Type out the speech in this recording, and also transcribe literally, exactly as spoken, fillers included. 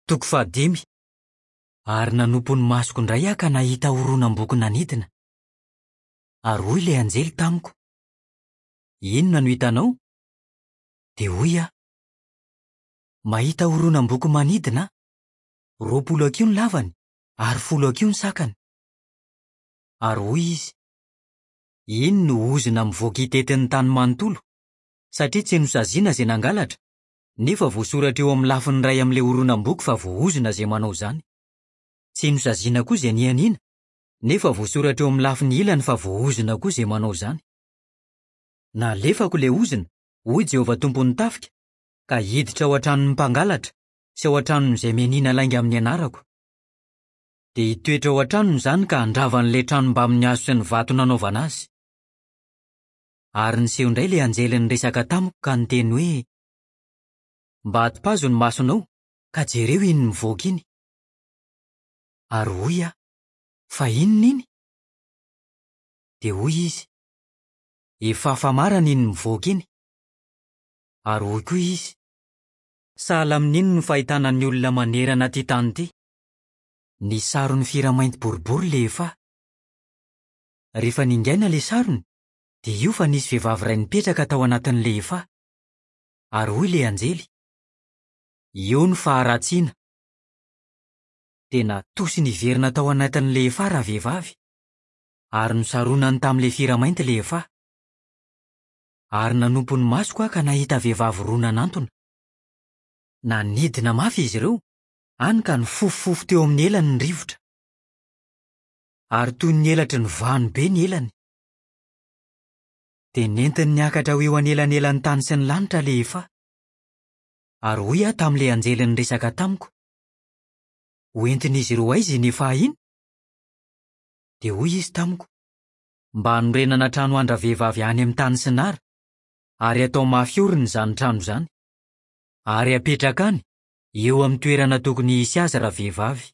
Toko fahadimy. Ary nanompo ny masoko indray aho ka nahita horonam-boky nanidina. Ary hoy ilay anjely tamiko: "Inona no hitanao?" Dia hoy aho: "Mahita horonam-boky manidina aho. Roapolo hakiho ny lavany ary folo hakiho ny sakany." Ary hoy izy: "Iny no ozona mivoaka hitety ny tany manontolo, satria tsy nosaziana izay nangalatra, nefa voasoratra eo amin'ny lafiny iray amin'ilay horonam-boky fa voaozona izay manao izany. Tsy nosaziana koa izay nianiana, nefa voasoratra eo amin'ny lafiny ilany fa voaozona koa izay manao izany. Nalefako ilay ozona, hoy Jehovah Tompon'ny tafika, ka hiditra ao an-tranon'ny mpangalatra sy ao an-tranon'izay mianiana lainga amin'ny anarako. Dia hitoetra ao an-tranony izany ka handrava an'ilay trano mbamin'ny hazo sy ny vato nanaovana azy." Ary niseho indray ilay anjely niresaka tamiko ka niteny hoe: "Mba atopazo ny masonao ka jereo iny mivoaka iny." Ary hoy aho: "Fa inona iny?" Dia hoy izy: "Efa famarana iny mivoaka iny." Ary hoy koa izy: "Sahala amin'iny no fahitana ny olona manerana ity tany ity." Nisy sarony firamainty boribory ilay efa. Rehefa ningaina ilay sarony, dia io fa nisy vehivavy iray nipetraka tao anatin'ilay efa. Ary hoy ilay anjely: "Io ny faharatsiana." Dia natosiny hiverina tao anatin'ilay efa ravehivavy, ary nosaronany tamin'ilay firamainty ilay efa. Ary nanompo ny masoko aho ka nahita vehivavy roa nanantona. Nanidina mafy izy ireo, hany ka nifofofofo teo amin'ny elany ny rivotra. Ary toy ny elatry ny vano be ny elany. Dia nentiny niakatra ho eo anelanelan'ny tany sy ny lanitra ilay efa. Ary hoy aho tamin'ilay anjely niresaka tamiko: "Hoentin'izy ireo aiza iny efa iny?" Dia hoy izy tamiko: "Mba hanorenana trano andravehivavy any amin'ny tany Sinara, ary hatao mafy orina izany trano izany. Ary hapetraka any, eo amin'ny toerana tokony hisy azy ravehivavy."